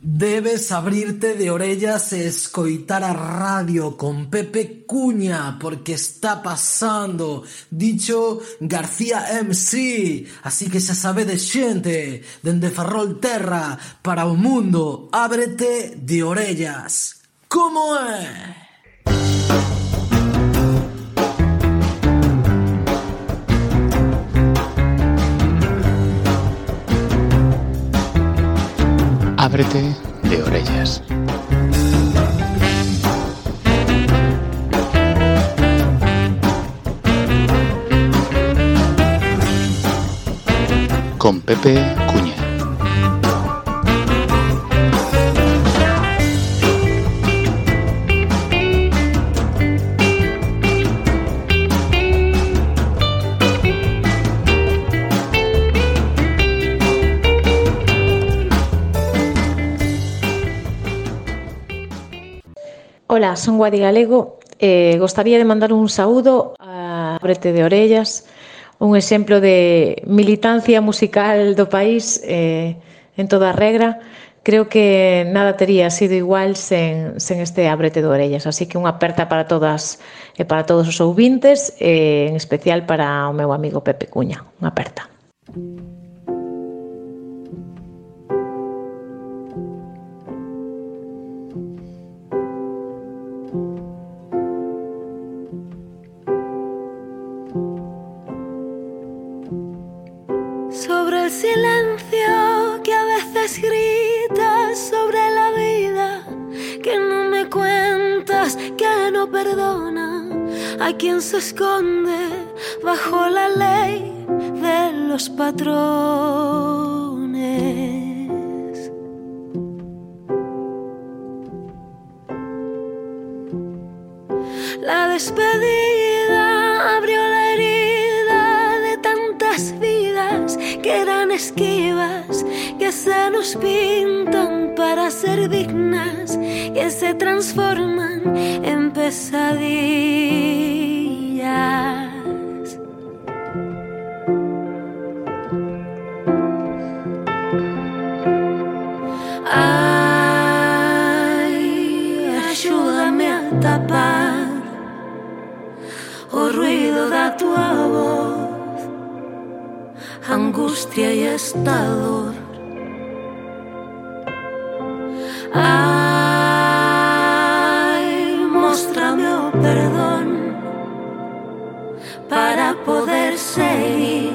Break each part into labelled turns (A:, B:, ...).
A: Debes abrirte de orellas e escoitar a radio con Pepe Cuña, porque está pasando dicho García MC. Así que xa sabedes, xente, dende Ferrolterra para o mundo, ábrete de orellas. Como é?
B: Ábrete de orellas. Con Pepe Cuña.
C: Ola, son Guadi Galego e gostaría de mandar un saúdo a Ábrete de Orellas, un exemplo de militancia musical do país en toda a regra. Creo que nada tería sido igual sen este Ábrete de Orellas, así que unha aperta para todas e para todos os ouvintes, en especial para o meu amigo Pepe Cuña. Unha aperta.
D: Sobre el silencio que a veces gritas, sobre la vida que no me cuentas, que no perdona a quien se esconde bajo la ley de los patrones. La despedida abrió la herida de tantas vidas que eran esquivas, que se nos pintan para ser dignas, que se transforman en pesadillas. Ay, ayúdame a tapar o ruido da tua voz, angustia y esta dor. Ay, móstrame o perdón para poder seguir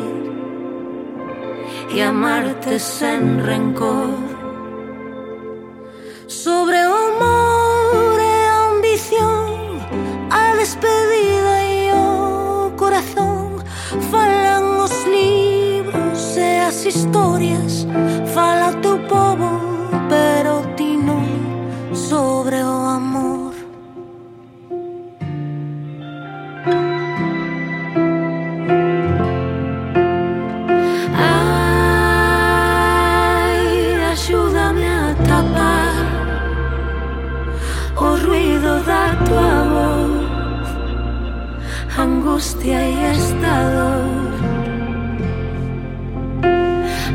D: y amarte sin rencor. Sobre o amor e a ambición, a despedida e o corazón, falan os libros e as historias, fala o teu povo, pero ti non. Sobre o amor, ay, ayúdame a tapar o ruido da tua voz, angustia y esta dor.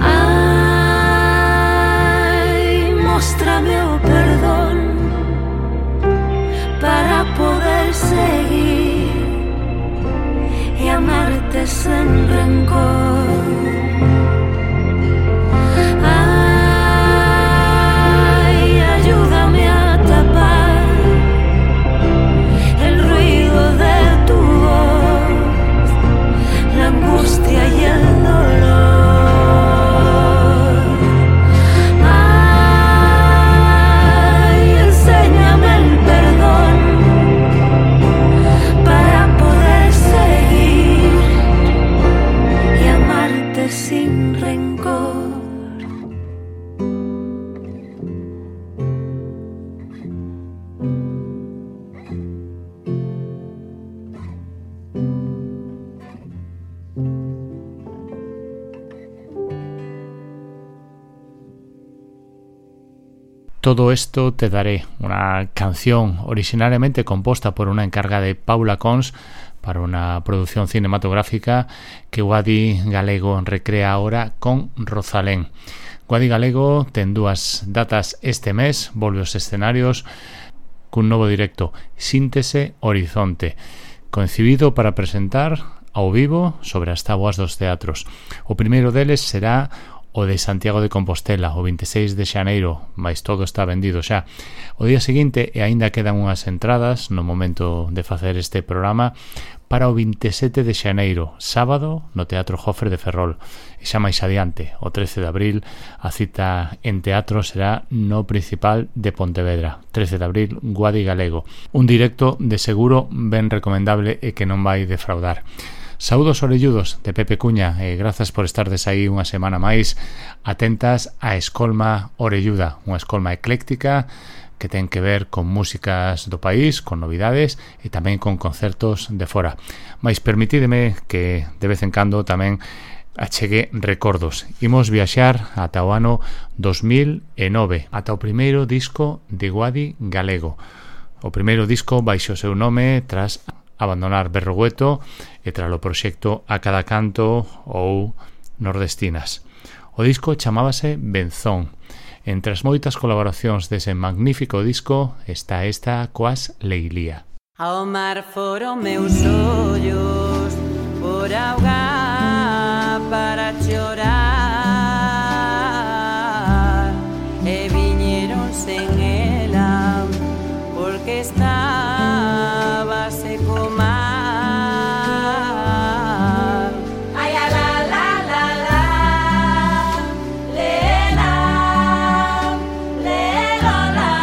D: Ay, móstrame o perdón para poder seguir y amarte sin rencor. Ay, ayúdame a tapar el ruido de tu voz, la angustia y el dolor. Ay, enséñame el perdón para poder seguir y amarte sin rencor.
B: Todo esto te daré, una canción originariamente compuesta por una encargada de Paula Cons para una producción cinematográfica que Guadi Galego recrea ahora con Rosalén. Guadi Galego ten dúas datas este mes, volve aos escenarios cun novo directo, Síntese Horizonte, concibido para presentar ao vivo sobre as táboas dos teatros. O primeiro deles será o de Santiago de Compostela, o 26 de xaneiro, mais todo está vendido xa. O día seguinte, e aínda quedan unhas entradas no momento de facer este programa, para o 27 de xaneiro, sábado, no Teatro Jofre de Ferrol. E xa máis adiante, o 13 de abril, a cita en teatro será no Principal de Pontevedra. 13 de abril, Guadi Galego. Un directo de seguro ben recomendable e que non vai defraudar. Saúdos orelludos de Pepe Cuña e grazas por estardes aí unha semana máis atentas a Escolma Orelluda, unha escolma ecléctica que ten que ver con músicas do país, con novidades e tamén con concertos de fora. Mais permitídeme que de vez en cando tamén achegue recordos. Imos viaxar ata o ano 2009, ata o primeiro disco de Guadi Galego. O primeiro disco baixo o seu nome tras abandonar Berrogueto e tras o proxecto A Cada Canto ou Nordestinas. O disco chamábase Benzón. Entre as moitas colaboracións dese magnífico disco está esta coas Leilía.
E: Ao mar foron meus ollos por auga para chorar e viñeron sen ela porque estaba seco mar. Ai a la la la la lena lena la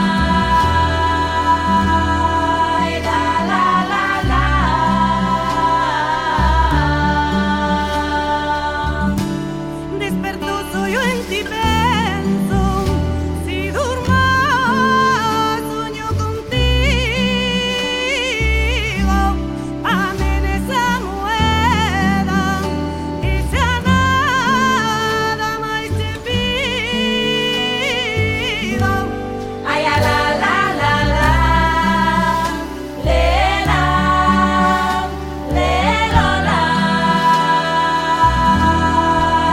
E: ai la la la la despertou soio en ti penso si durmo sueño contigo amen esa moeda e xa nada máis te pido ai a la la la la lena lena la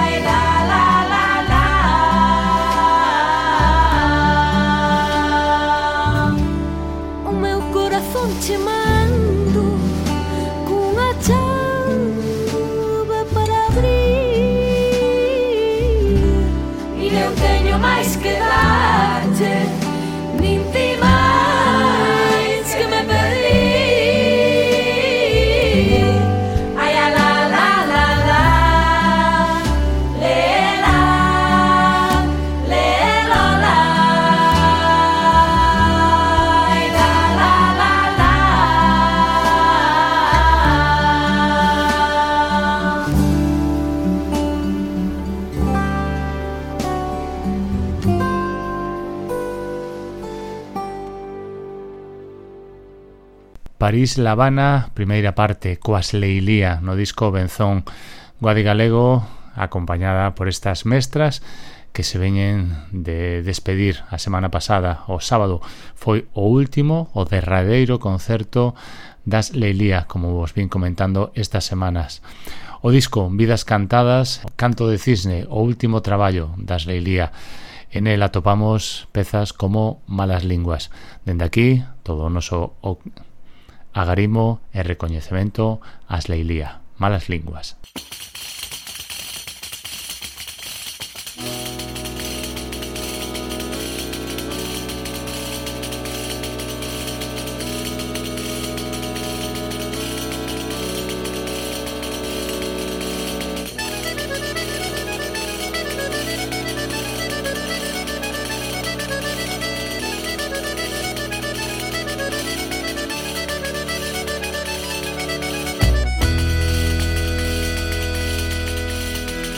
E: ai la la la la o meu corazón che mando cunha chave para abrir e eu teño máis que darche nin ti máis que me pedir ai a la la la la lela lela la ai la la la la
B: París-La Habana, primeira parte, coas Leilía no disco Benzón. Guadi Galego, acompañada por estas mestras que se veñen de despedir a semana pasada, o sábado. Foi o último, o derradeiro concerto das Leilía, como vos vin comentando estas semanas. O disco Vidas Cantadas, Canto de Cisne, o último traballo das Leilía. En el atopamos pezas como Malas Linguas. Dende aquí, todo o noso agarimo e recoñecemento ás Leilía. Malas Linguas.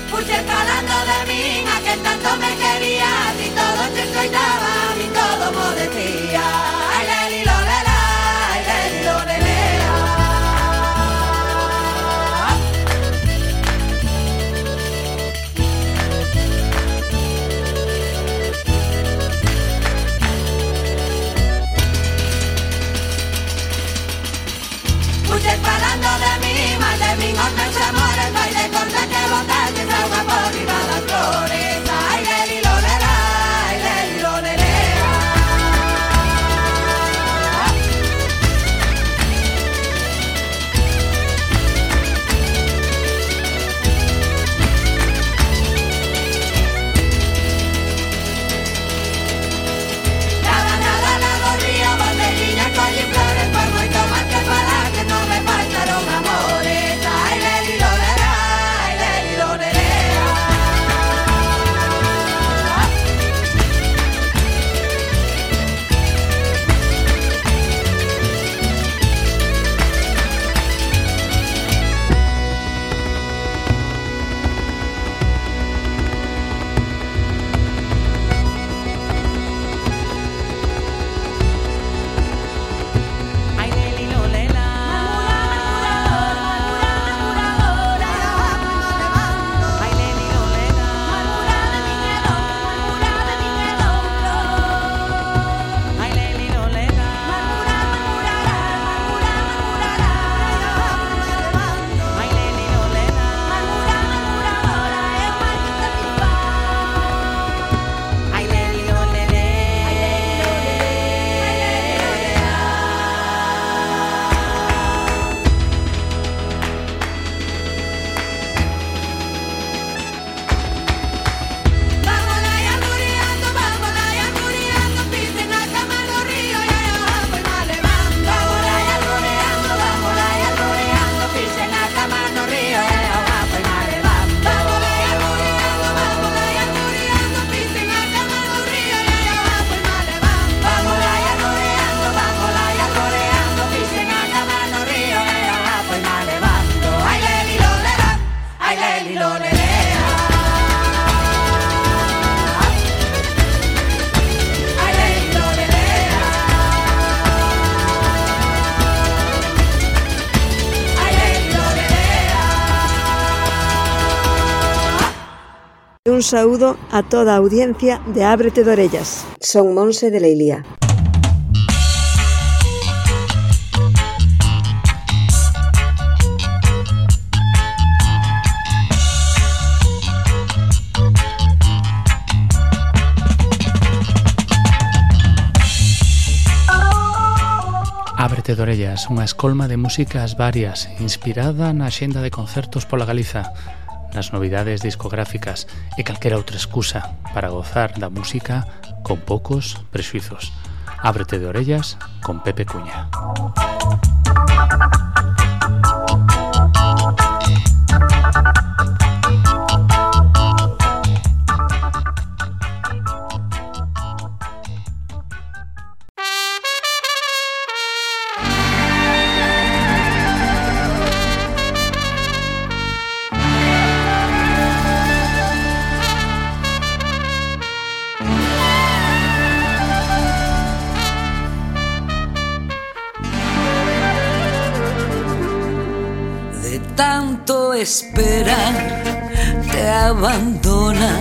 E: Fuches falando de min, a que tanto me querías y todo te escoitaba, y todo mo decía ai leli lo lela, ai leli lo lelea. Fuches falando de min, mas de min os meus amores vai de conta que botaches auga por riba das flores. Ai leli lo
F: Un saúdo a toda a audiencia de Ábrete de Orellas. Son Monse de Leilía.
B: Ábrete de Orellas, unha escolma de músicas varias, inspirada na axenda de concertos pola Galiza, nas novidades discográficas e calquera outra excusa para gozar da música con poucos prexuizos. Ábrete de Orellas con Pepe Cuña.
G: Tanto esperar te abandona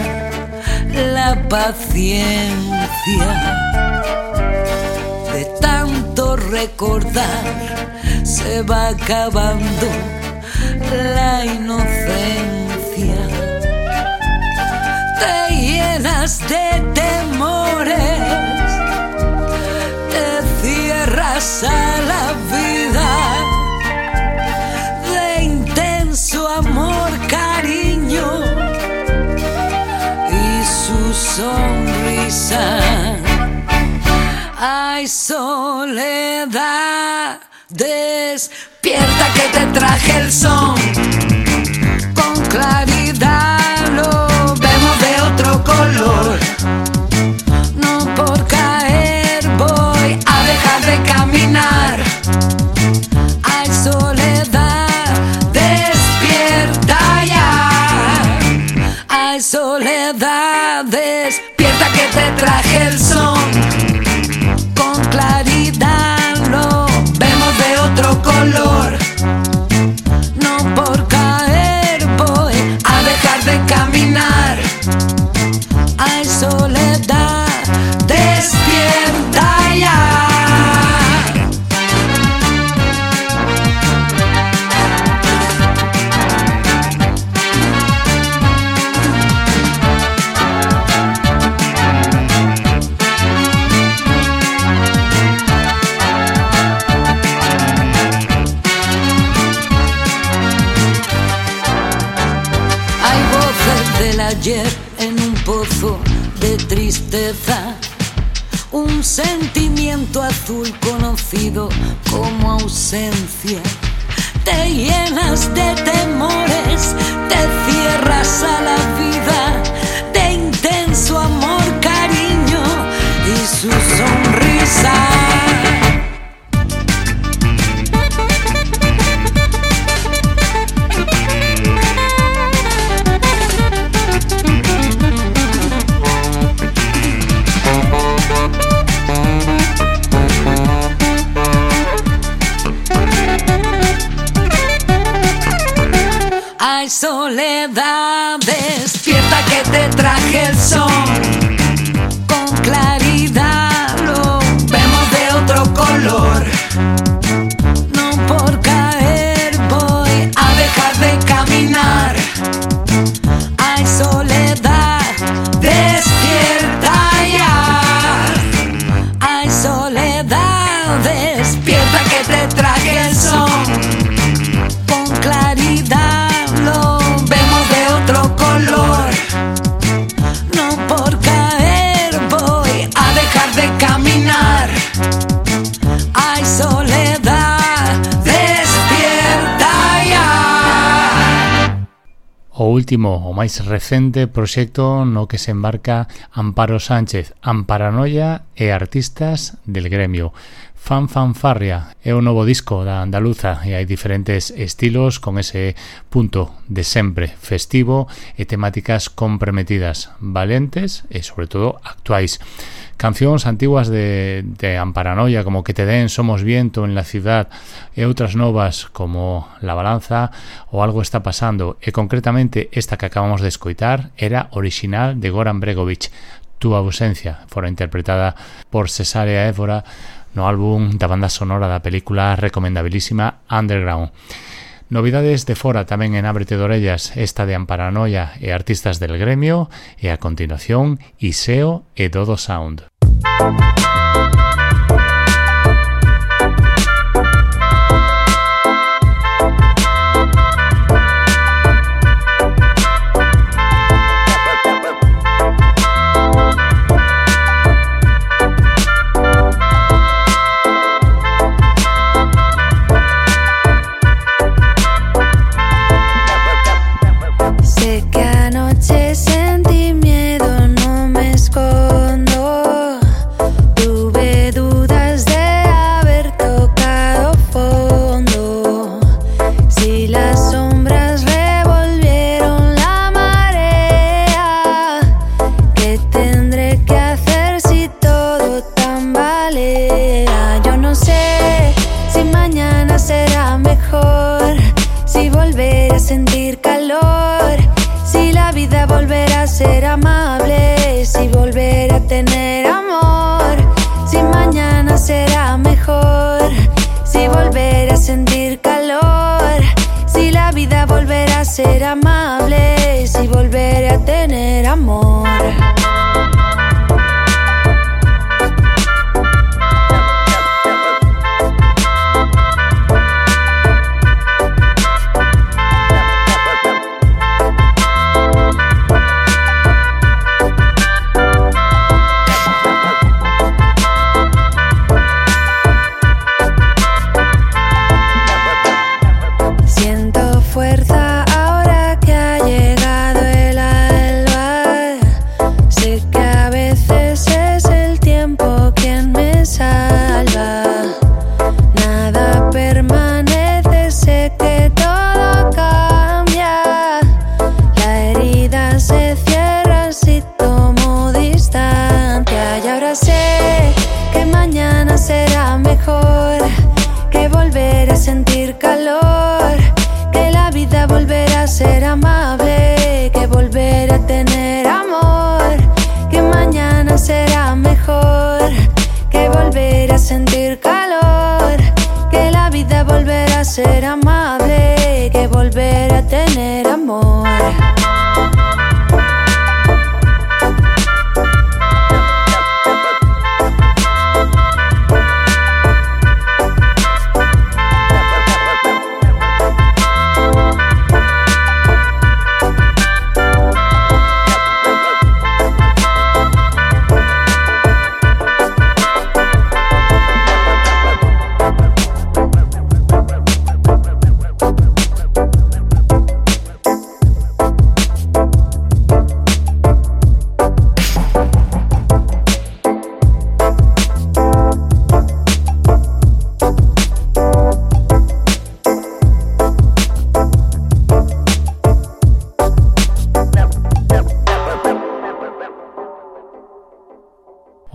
G: la paciencia, de tanto recordar se va acabando la inocencia, te llenas de temores, te cierras a la vida. Su amor, cariño y su sonrisa. Ay, soledad, despierta que te traje el son. Con claridad lo vemos de otro color. No por caer voy a dejar de caminar. Ay, soledad, ay, soledad, despierta que te traje el son. Con claridad lo vemos de otro color. No por caer voy a dejar de caminar. Ay, soledad, despierta ya. Ayer en un pozo de tristeza, un sentimiento azul conocido como ausencia. Te llenas de temores, te cierras a la vida, de intenso amor, cariño y su sonrisa. Ay, soledad, despierta que te traje el son. Con claridad lo vemos de otro color. No por caer voy a dejar de caminar. Ay, soledad, despierta ya. Ay, soledad, despierta que te traje el son. Con claridad lo vemos de otro color. No por caer voy a dejar de caminar. Ay, soledad, despierta ya.
B: O último, o máis recente proxecto no que se embarca Amparo Sánchez, Amparanoia e artistas del gremio. Fanfarria é o novo disco da andaluza e hai diferentes estilos con ese punto de sempre festivo e temáticas comprometidas, valentes e sobre todo actuais. Cancións antiguas de Amparanoia como Que te den, Somos viento en la ciudad e outras novas como La balanza ou Algo está pasando, e concretamente esta que acabamos de escoitar era original de Goran Bregovic, Tu ausencia, fora interpretada por Cesárea Évora no álbum da banda sonora da película recomendabilísima Underground. Novidades de fora tamén en Ábrete de Orellas, esta de Amparanoia e artistas del gremio, e a continuación Iseo e Dodo Sound.
H: Sentí miedo, no me escondo. Tuve dudas de haber tocado fondo. Si las sombras revolvieron la marea, ¿qué tendré que hacer si todo tambalea? Yo no sé si mañana será mejor, si volveré a sentir calor, si la vida volverá a ser amable, si volveré a tener amor, si mañana será mejor, si volveré a sentir calor, si la vida volverá a ser amable, si volveré a tener amor. Sentir calor, que la vida volverá a ser amable, que volverá a tener amor.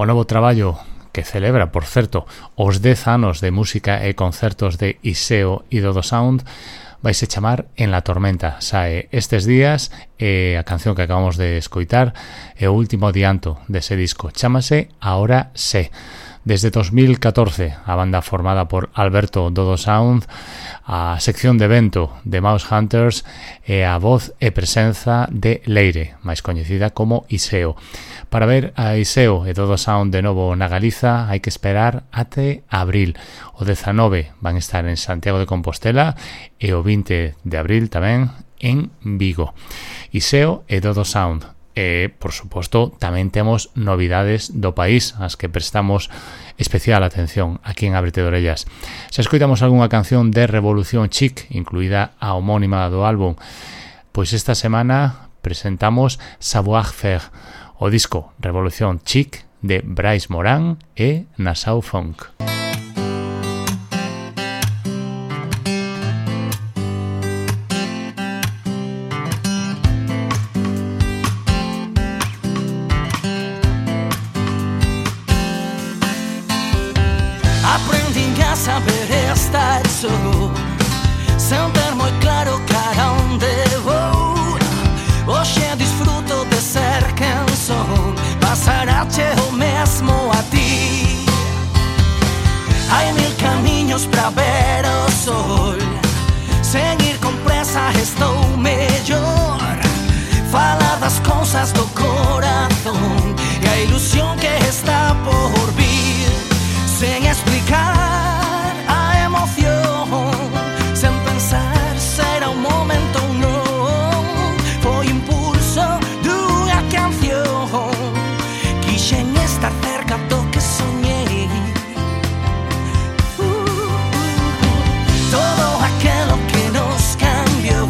B: O novo traballo que celebra, por certo, os 10 anos de música e concertos de Iseo e Dodo Sound vaise chamar En la tormenta. Sae estes días e a canción que acabamos de escoitar é o último adianto dese disco. Chámase Ahora sé. Desde 2014, a banda formada por Alberto Dodo Sound, a sección de evento de Mouse Hunters e a voz e presenza de Leire, máis coñecida como Iseo. Para ver a Iseo e Dodo Sound de novo na Galiza hai que esperar até abril. O 19 van estar en Santiago de Compostela e o 20 de abril tamén en Vigo. Iseo e Dodo Sound. E, por suposto, tamén temos novidades do país as que prestamos especial atención aquí en Ábrete de Orellas. Se escoitamos algunha canción de Revolución Chic, incluída a homónima do álbum, pois esta semana presentamos Savoir-faire, o disco Revolución Chic de Bryce Moran e Nassau Funk.
I: ollos pra ver o sol. Sen ir con presa estou mellor. Falar das cousas do corazón e a ilusión que está por vir. Sen explicar a emoción, sen pensar se era un momento ou non. Foi impulso dunha canción. Quixen estar cerca do que soñei. Todo aquilo que nos cambiou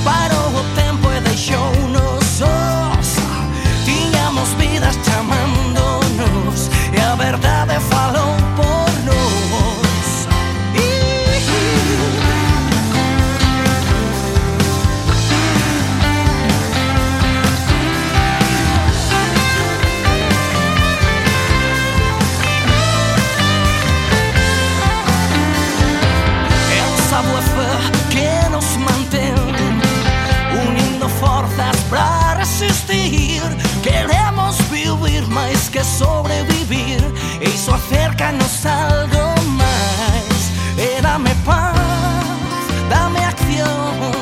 I: parou o tempo e deixounos sós. Tiñamos vidas chamándonos e a verdade falou por nós. É o savoir que nos mantén unindo forzas pra resistir. Queremos vivir máis que sobrevivir, e iso acércanos algo máis. E dame paz, dame acción,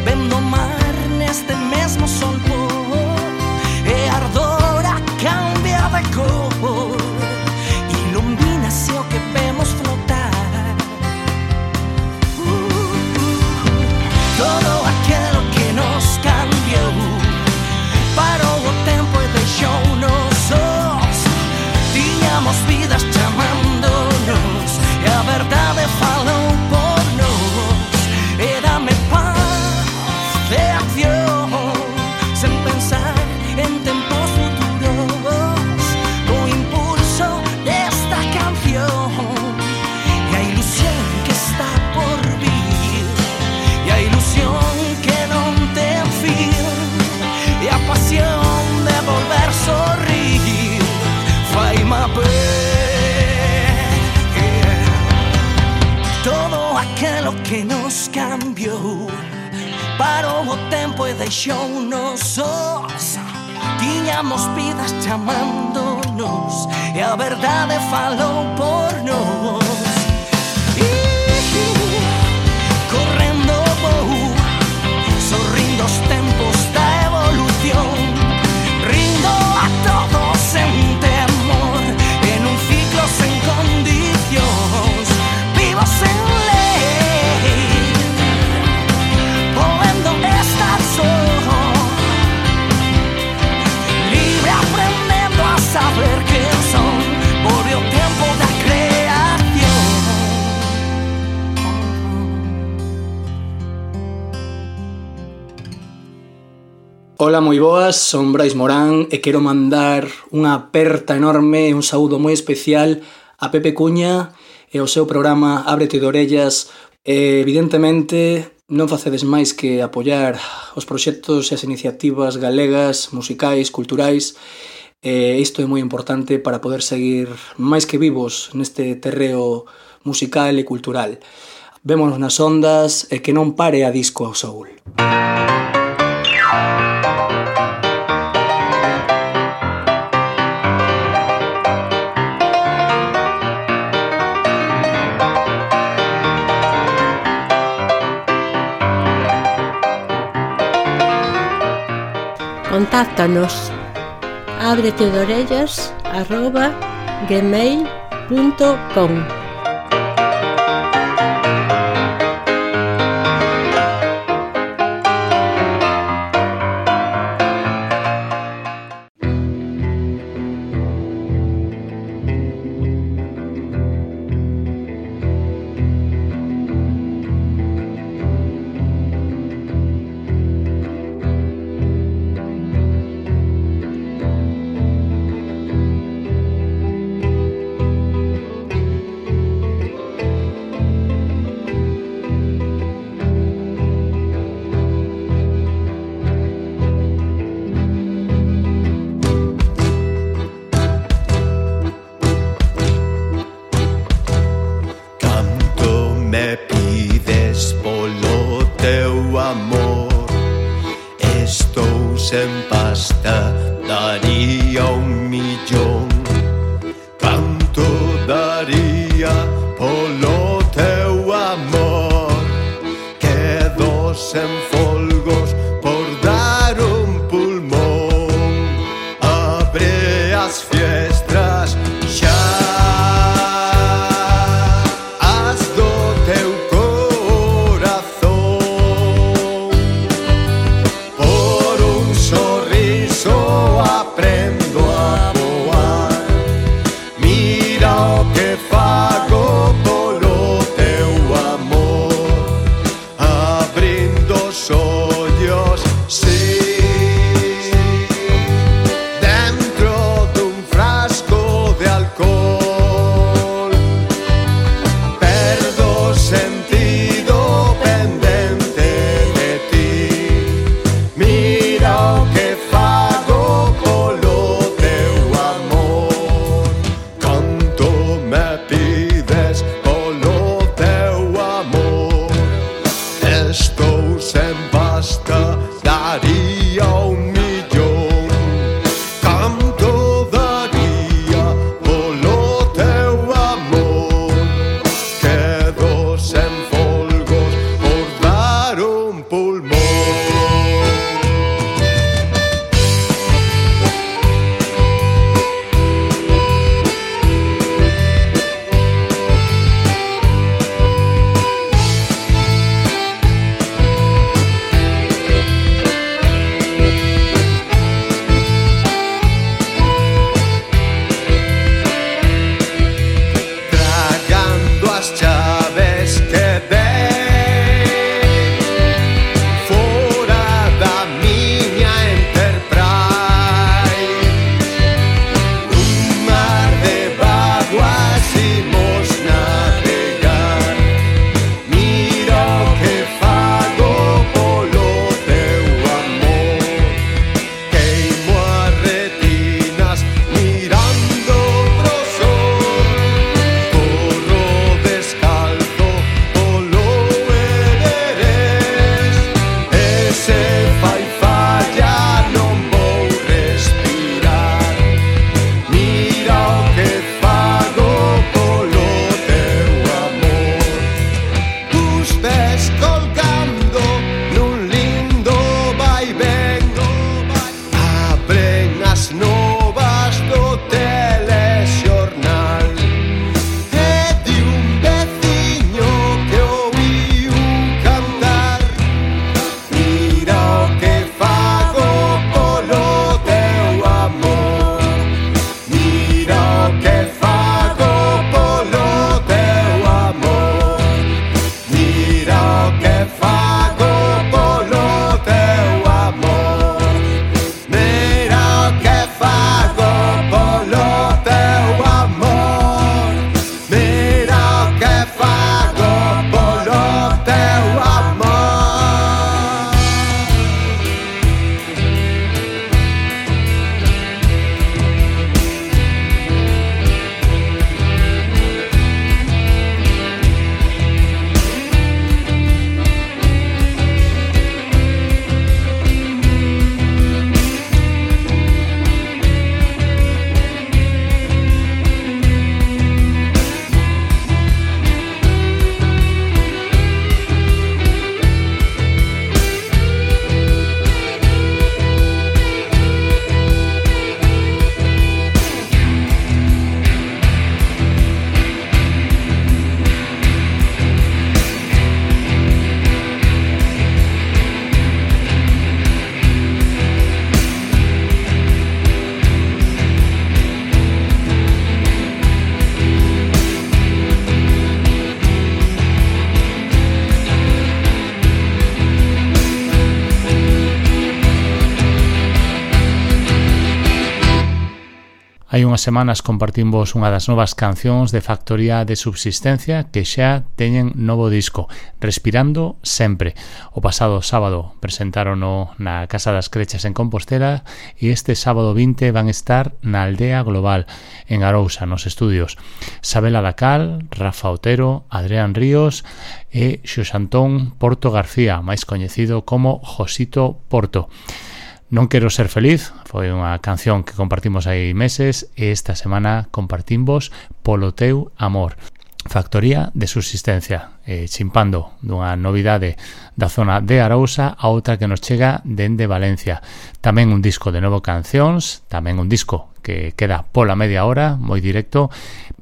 I: vendo o mar neste mesmo sol pôr. E a ardora cambia de cor, ilumínase o que vemos flotar. Todo aquilo que nos cambiou parou o tempo e deixounos sós. Tiñamos vidas chamándonos e a verdade falou por nós. E dame paz de acción, sen pensar en tempos futuros, co impulso desta canción e a ilusión que está por vir, e a ilusión que non ten fin, e a pasión de volver sorrir. Fai-me ver todo aquilo que nos cambiou parou o tempo e deixounos sós. Tiñamos vidas chamándonos e a verdade falou por nós. Correndo vou, sorrindo os tempos da evolución, rindo a todos sen temor, en un ciclo sen condicións, vivo sen lei, podendo estar só, libre aprendendo a saber quen son. Volve o tempo da creación.
J: Ola, moi boas, son Brais Morán e quero mandar unha aperta enorme e un saúdo moi especial a Pepe Cuña e ao seu programa Ábrete de Orellas. Evidentemente non facedes máis que apoiar os proxectos e as iniciativas galegas, musicais, culturais, e isto é moi importante para poder seguir máis que vivos neste terreo musical e cultural. Vémonos nas ondas e que non pare a disco ao soul.
K: Contáctanos abretedorellas@gmail.com.
L: sen pasta daría 1 millón. Canto daría por
B: Hai unhas semanas compartimos unha das novas cancións de Factoría de Subsistencia que xa teñen novo disco, Respirando Sempre. O pasado sábado presentarono na Casa das Crechas en Compostela e este sábado 20 van estar na Aldea Global, en Arousa, nos estudios. Sabela Dacal, Rafa Otero, Adrián Ríos e Xoxantón Porto García, máis coñecido como Josito Porto. Non quero ser feliz, foi unha canción que compartimos hai meses e esta semana compartimos Polo teu amor. Factoría de Subsistencia, chimpando dunha novidade da zona de Arousa a outra que nos chega dende Valencia. Tamén un disco de novo cancións, tamén un disco que queda pola media hora, moi directo,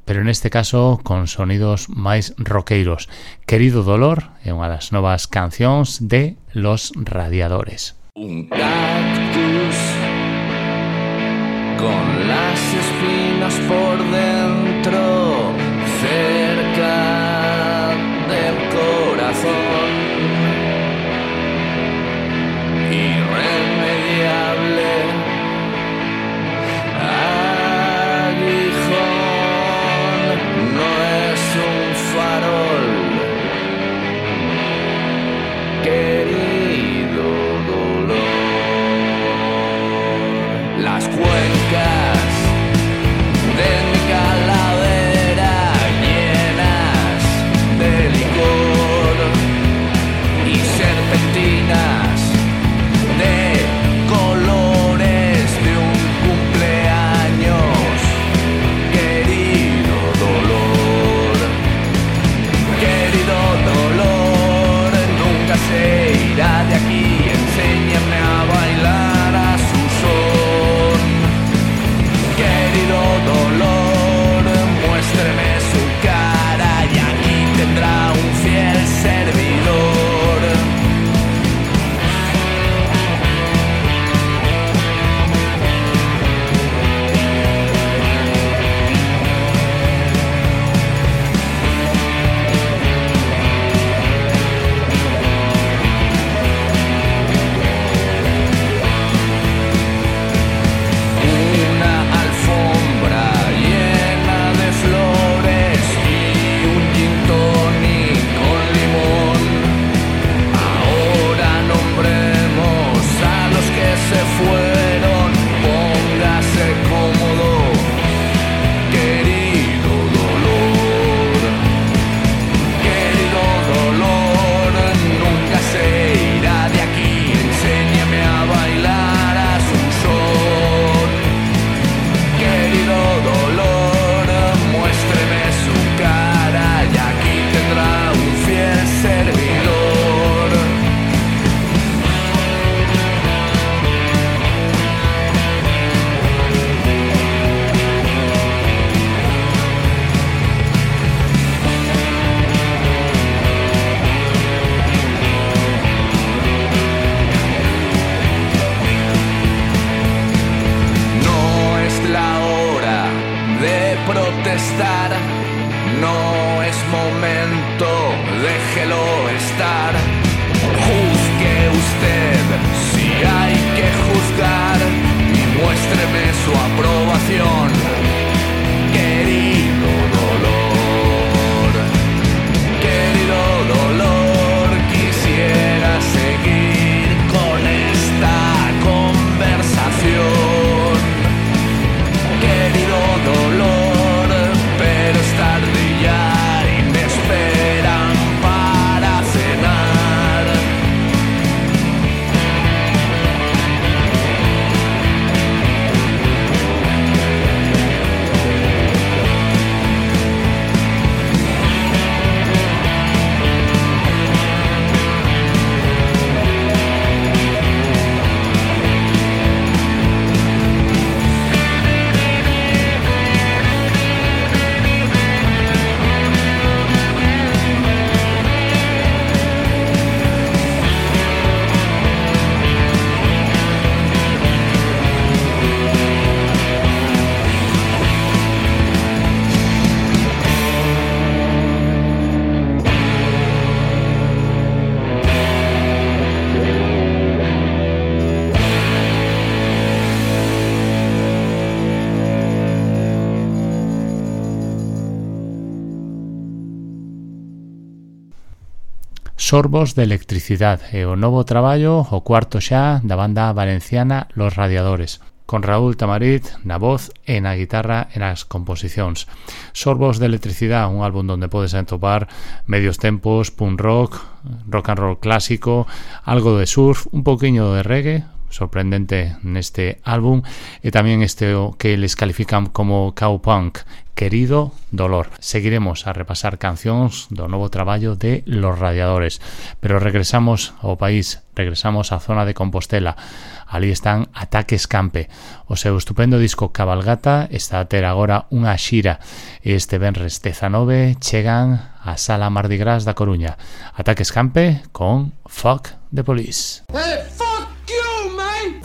B: pero neste caso con sonidos máis roqueiros. Querido dolor é unha das novas cancións de Los Radiadores.
M: Un cactus con las espinas por dentro, cerca del corazón, irremediable aguijón, no es un farol, querido dolor. Las cuencas de mi calavera llenas de licor y serpentinas de colores de un cumpleaños, querido dolor, nunca se irá de aquí, enséñame a bailar a su son, querido dolor, muéstreme su cara y aquí tendrá un fiel servidor.
B: Sorbos de electricidade e o novo traballo, o cuarto xa, da banda valenciana Los Radiadores, con Raúl Tamarit na voz e na guitarra e nas composicións. Sorbos de electricidade, un álbum onde podes atopar medios tempos, punk rock, rock and roll clásico, algo de surf, un poquinho de reggae, sorprendente neste álbum, e tamén este que les califican como cowpunk, Querido Dolor. Seguiremos a repasar cancións do novo traballo de Los Radiadores, pero regresamos ao país, regresamos á zona de Compostela. Ali están Ataque Escampe. O seu estupendo disco Cabalgata está a ter agora unha xira e este venres 19 chegan á Sala Mardi Gras da Coruña. Ataque Escampe con Fuck the Police.
N: Hey, fuck you, man!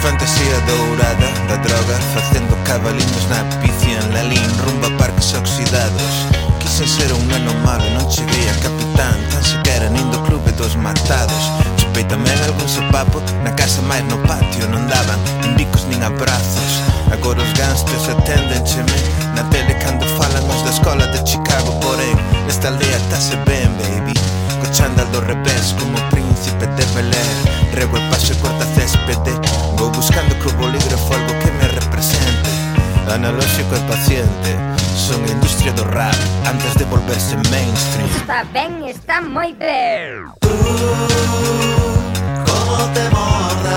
O: Fantasía dourada da droga, facendo cabaliños na picia en Lalín, rumbo a parques oxidados. Quise ser un neno malo, non cheguei a capitán, tan sequera nin do clube dos matados. Chupei tamén algún sopapo, na casa máis no patio non daban nin bicos nin abrazos. Agora os gangsters aténdencheme na tele cando falan os da escola de Chicago, porén nesta aldea tase ben, baby, co chándal do revés como príncipe de Belén. Rego e paso e corta céspede, vou buscando co bolígrafo algo que me represente. Analóxico e paciente, son a industria do rap antes de volverse mainstream.
P: Está ben, está moi ben.
O: Como te morda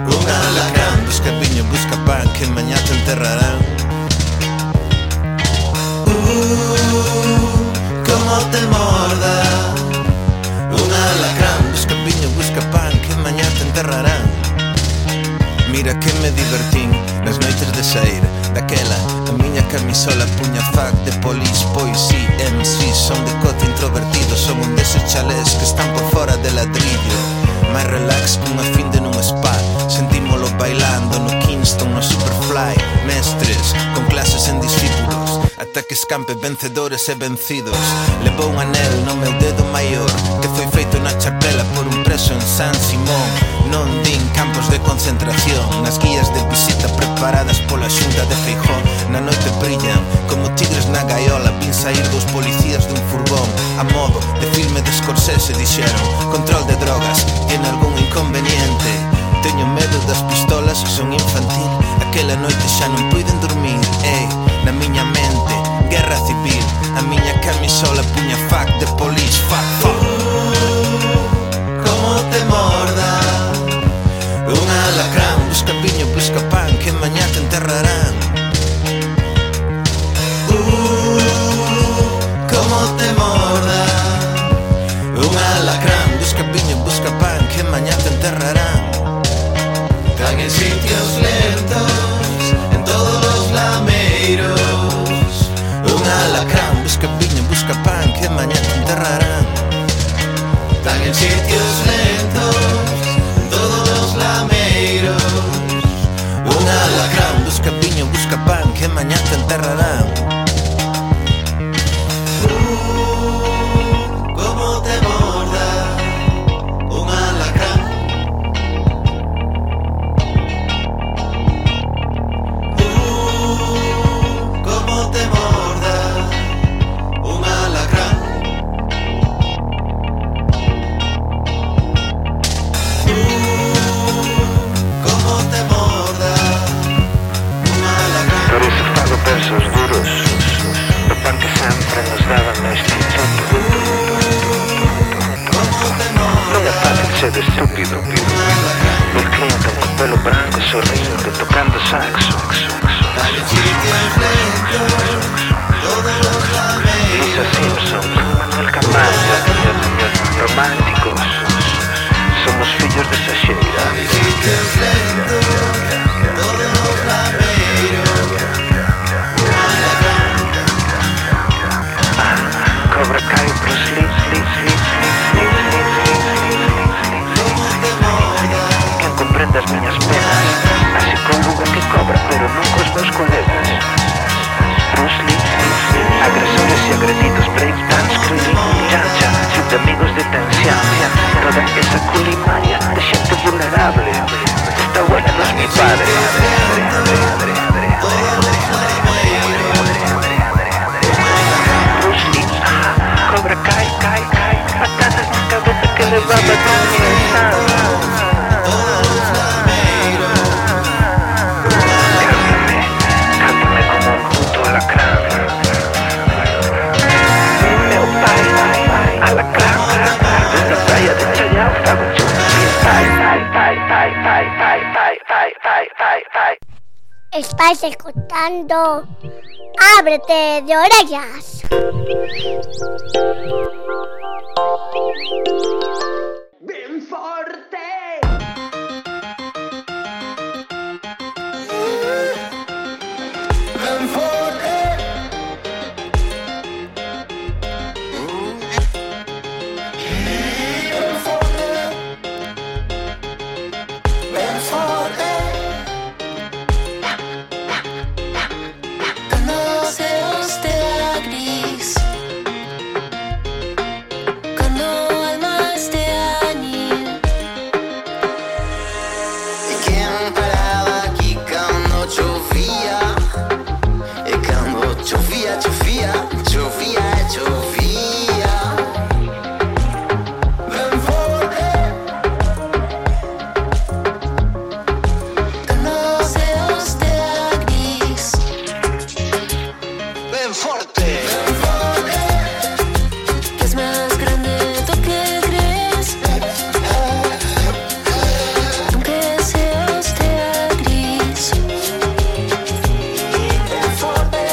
O: un alacrán, busca piño, busca pan, que mañá te enterrarán. Como te morda un alacrán, busca piño, busca pan, que mañá te enterrarán. Mira que me divertín nas noites de sair daquela, a miña camisola puña fuck de police, pois si, MC, son de cote introvertido, son un deses chalés que están por fora de ladrillo. Mais relax cunha fin de nun spa, sentímolo bailando no Kingston, no Superfly. Mestres con clases en discípulos, Ataque Escampe, vencedores e vencidos. Levou un anel no meu dedo maior, que foi feito na chapela por un preso en San Simón. Non din campos de concentración, nas guías de visita preparadas pola xunta de Feijóo. Na noite brillan como tigres na gaiola, vin sair dos policías dun furgón, a modo de filme de Scorsese. Dixeron, control de drogas, tiene algún inconveniente. Teño medo das pistolas, son infantil, aquela noite xa non puiden dormir. Ei, na miña mente, guerra civil, a miña camisola puña fuck de police, fuck, fuck. Como te morda un alacrán, busca piño, busca pan, que mañá te enterrarán. Como te morda un alacrán, busca piño, busca pan, que mañá te enterrarán. Están en sitios lentos, en todos los lameiros. Un alacrán, busca piño, busca pan, que mañá te enterrarán. Están en sitios lentos, en todos los lameiros. Un alacrán, busca piño, busca pan, que mañá te enterrarán. Como te morda un alacrán. Como te morda un alacrán. Como te morda un alacrán. Por iso fago versos duros, do pan que sempre nos daban no instituto. Non é fácil ser estúpido, ver cliente con pelo branco sorrindo, tocando saxo. Lisa Simpson, Manuel Camacho, románticos, somos fillos de esa xeira. Cobra Kai, Bruce Lee, quen comprende as miñas penas, así como Google que cobra pero non cos
P: Estáis escuchando Ábrete de Orellas.
N: Ben forte. Ben forte. Ben forte.
H: Cuando se os te da gris, cuando alma esté añil.
I: E quen paraba aquí cando chovía? E cando chovía, chovía, chovía, chovía. Ben forte.
H: Cuando se os te da gris,
I: Ben forte.
H: que es más grande lo que crees. Aunque se os te da gris,
I: Ben forte.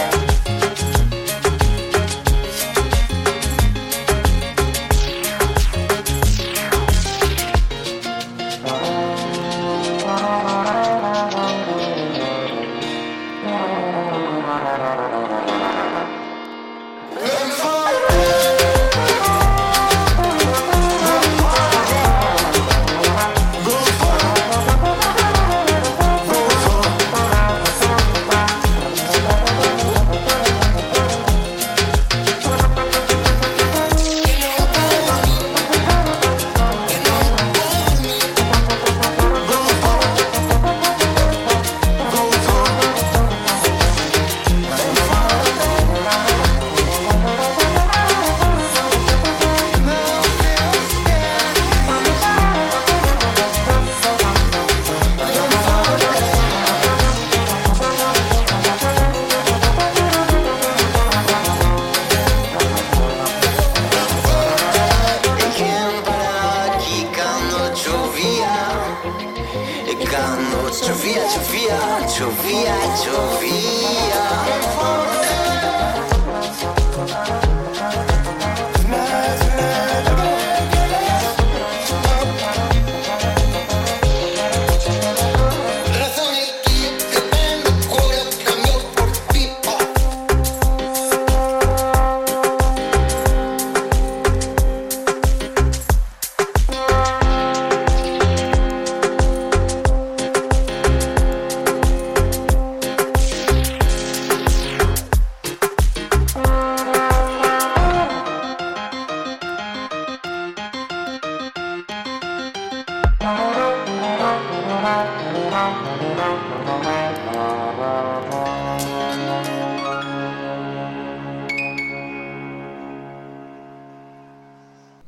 I: E quen paraba aquí cando chovía? E cando chovía, chovía, chovía, chovía. Razón aquí que tengo cura cambio por pipa.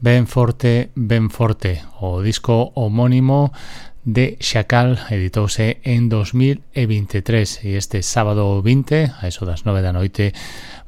B: Ben forte, o disco homónimo de Chacal editouse en 2023 e este sábado 20, a eso das 9 da noite,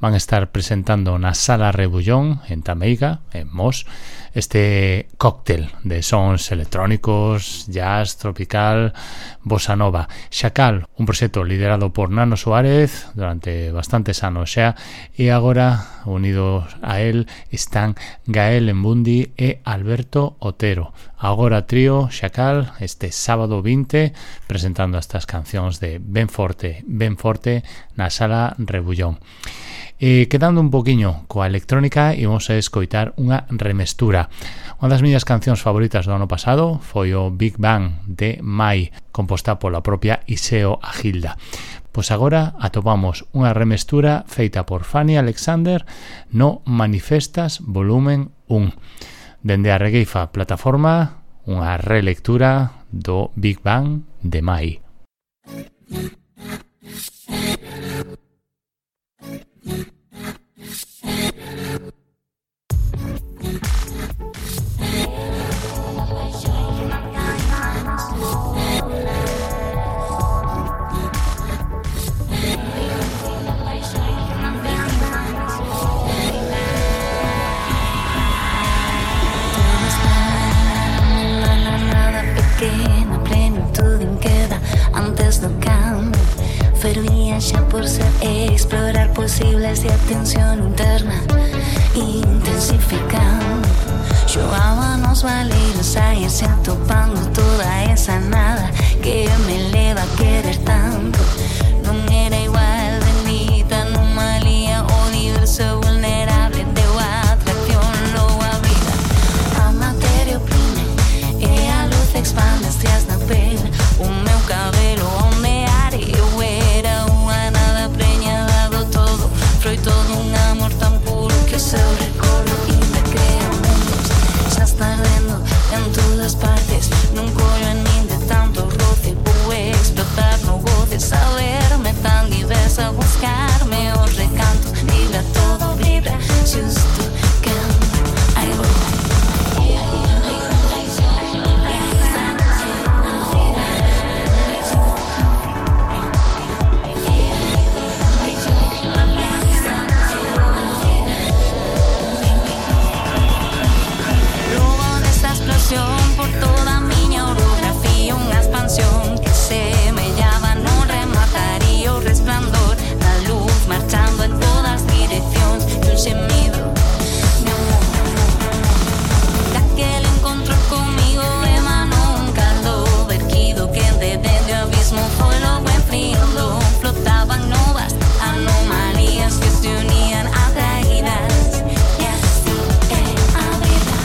B: van a estar presentando na Sala Rebullón en Tameiga, en Mos, este cóctel de sons electrónicos, jazz, tropical, bossa nova. Chacal, un proxecto liderado por Nano Suárez durante bastantes anos xa, e agora unidos a él están Gael Embundi e Alberto Otero. Agora trío Chacal este sábado 20 presentando estas cancións de Ben forte na Sala Rebullón. Quedando un poquinho coa electrónica, imos a escoitar unha remestura. Unha das miñas cancións favoritas do ano pasado foi o Big Bang de Mai, composta pola propia Iseo Agilda. Pois agora atopamos unha remestura feita por Fanny Alexander no Manifestas volumen 1. Dende a Regueifa plataforma, unha relectura do Big Bang de Mai.
H: pequena plenitude en queda antes do cambio. imposibles de atención interna intensificando. Xogábamos validos a irse topando toda esa nada que me leva a querer tanto. Non era igual, bendita anomalía, o universo vulnerable deu a atracción logo a vida. A materia oprime e a luz expande estrias na pel. O meu cabelo ondear e eu era unha nada preñada do todo. Froito dun amor tan puro que o seu recordo ainda crea mundos. Xa está ardendo en todas partes, non collo en min de tanto roce. Vou explotar no goce, saberme tan diversa, buscarme os recantos. Vibra todo, vibra, xusto que aí vou. Por toda a miña orografía, unha expansión que semellaba non remataría o resplandor da luz marchando en todas direccións e un xemido de amor. Daquel encontro comigo emanou un caldo verquido que desde o abismo foi logo enfriando. Flotaban novas anomalías que se unían atraídas e así é a vida.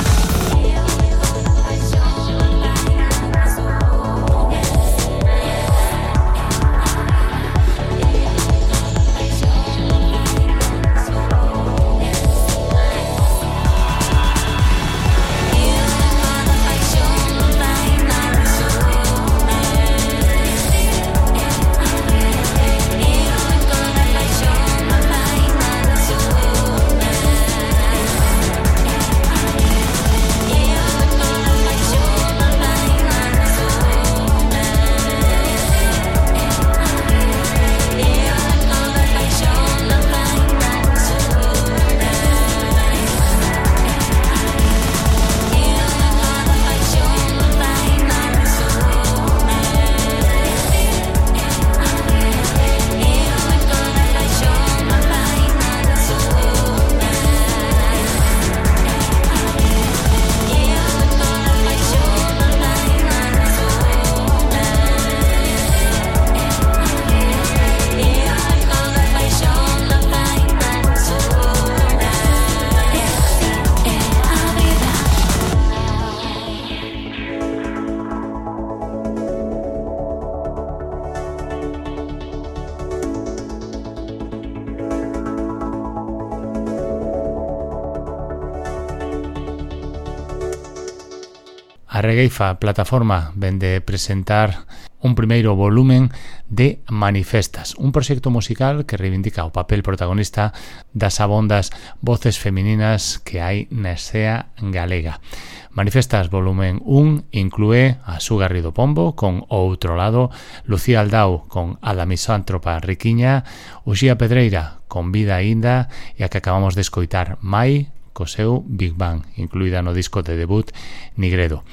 B: A Regueifa Plataforma vende presentar un primeiro volumen de Manifestas, un proxecto musical que reivindica o papel protagonista das abondas voces femininas que hai na escena galega. Manifestas volumen 1 inclúe a Su Garrido Pombo con O Outro Lado, Lucía Aldao con A da Misántropa Riquiña, Uxía Pedreira con Vida Aínda e a que acabamos de escoitar Mai co seu Big Bang, incluída no disco de debut Nigredo.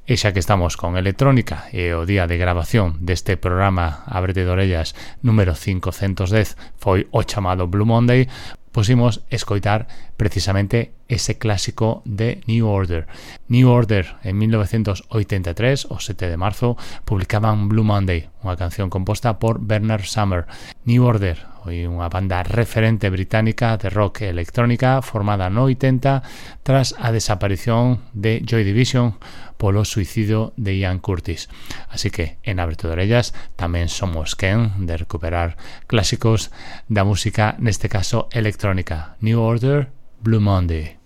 B: E xa que estamos con electrónica e o día de grabación deste programa Ábrete de Orellas número 510 foi o chamado Blue Monday, pusimos escoitar precisamente ese clásico de New Order. New Order en 1983, o 7 de marzo, publicaban Blue Monday, unha canción composta por Bernard Sumner. New Order, unha banda referente británica de rock e electrónica formada no 80 tras a desaparición de Joy Division polo suicidio de Ian Curtis. Así que en Ábrete de Orellas tamén somos quen de recuperar clásicos da música, neste caso electrónica. New Order, Blue Monday.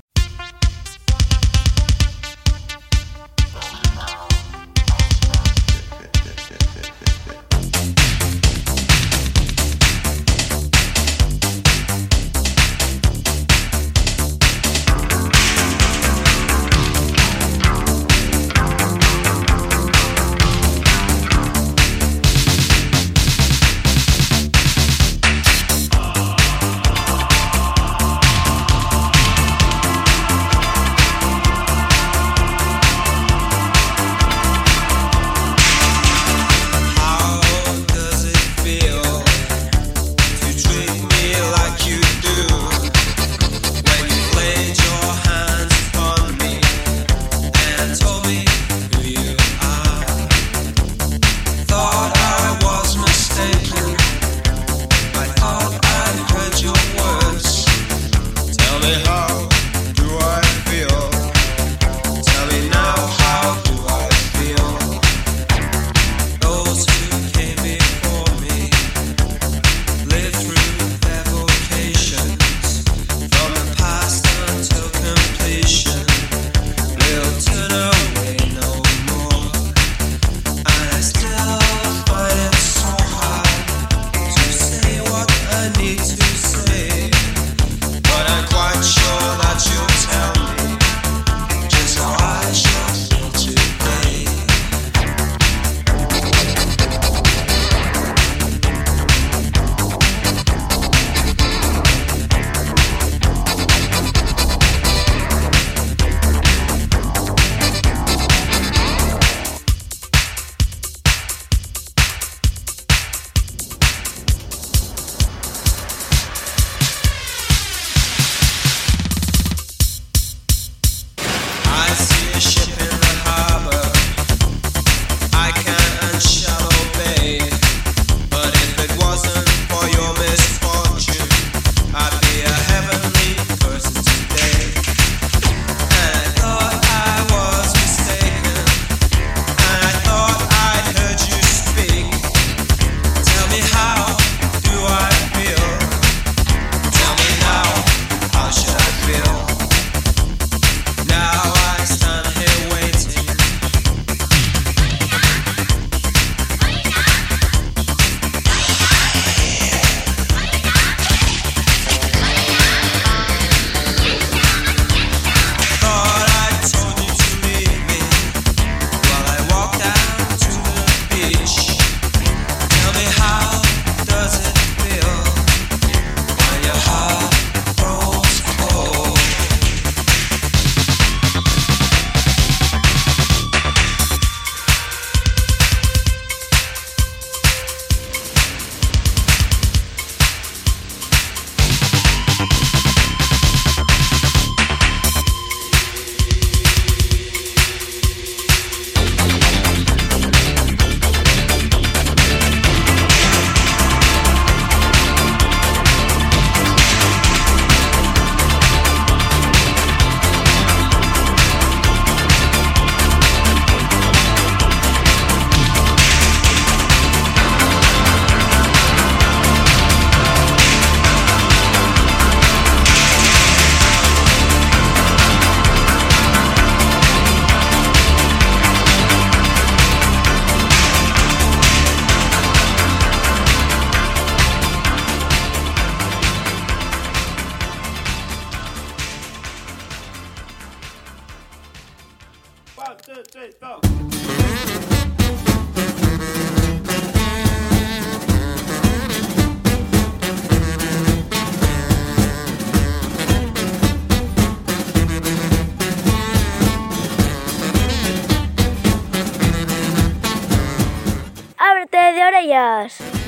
P: Ábrete de orellas.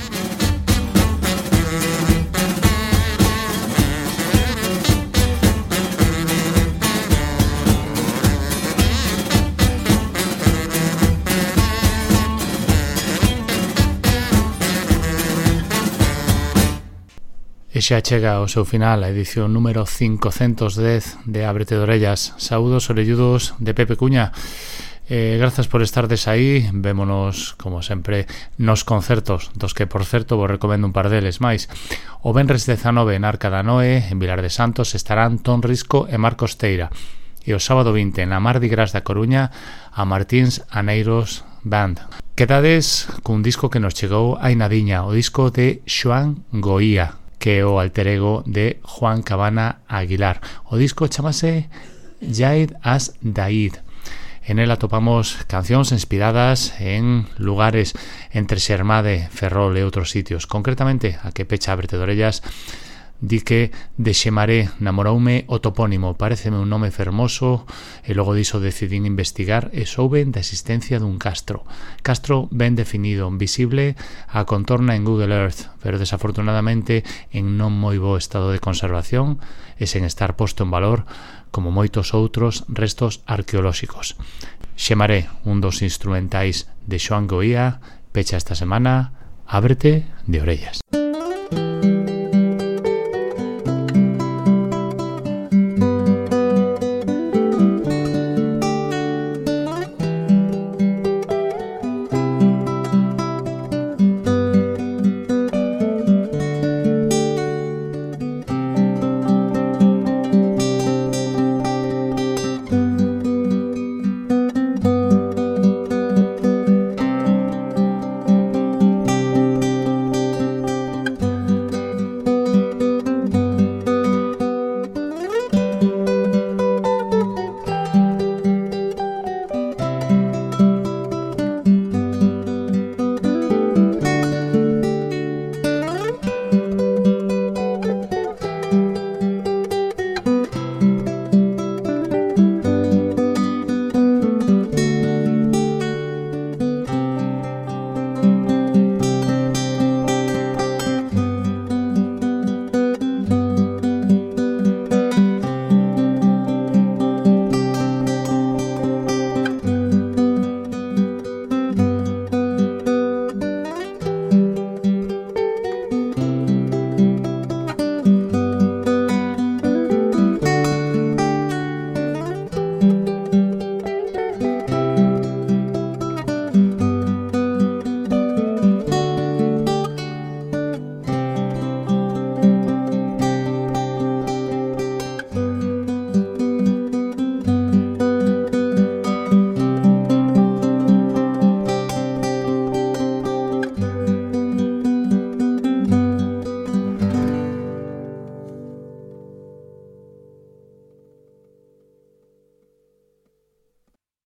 B: E xa chega ao seu final a edición número 510 de Ábrete de Orellas. Saúdos orelludos de Pepe Cuña. Grazas por estardes aí. Vémonos, como sempre, nos concertos, dos que, por certo, vos recomendo un par deles máis. O venres 19 en Arca da Noé, en Vilar de Santos, estarán Ton Risco e Marcos Teira. E o sábado 20 na Mardi Gras da Coruña, a Martins Aneiros Band. Quedades cun disco que nos chegou hai nadiña, o disco de Xoan Goía, que é o alter ego de Juan Cabana Aguilar. O disco chamase Yaid as Daid. En el atopamos cancións inspiradas en lugares entre Xermade, Ferrol e outros sitios. Concretamente, a que pecha Ábrete de Orellas di que de Xemaré namoroume o topónimo, pareceme un nome fermoso, e logo diso decidín investigar e souben da existencia dun castro. Castro ben definido, visible a contorna en Google Earth, pero desafortunadamente en non moi bo estado de conservación e sen estar posto en valor como moitos outros restos arqueolóxicos. Xemaré, un dos instrumentais de Xoan Goía, pecha esta semana Ábrete de Orellas.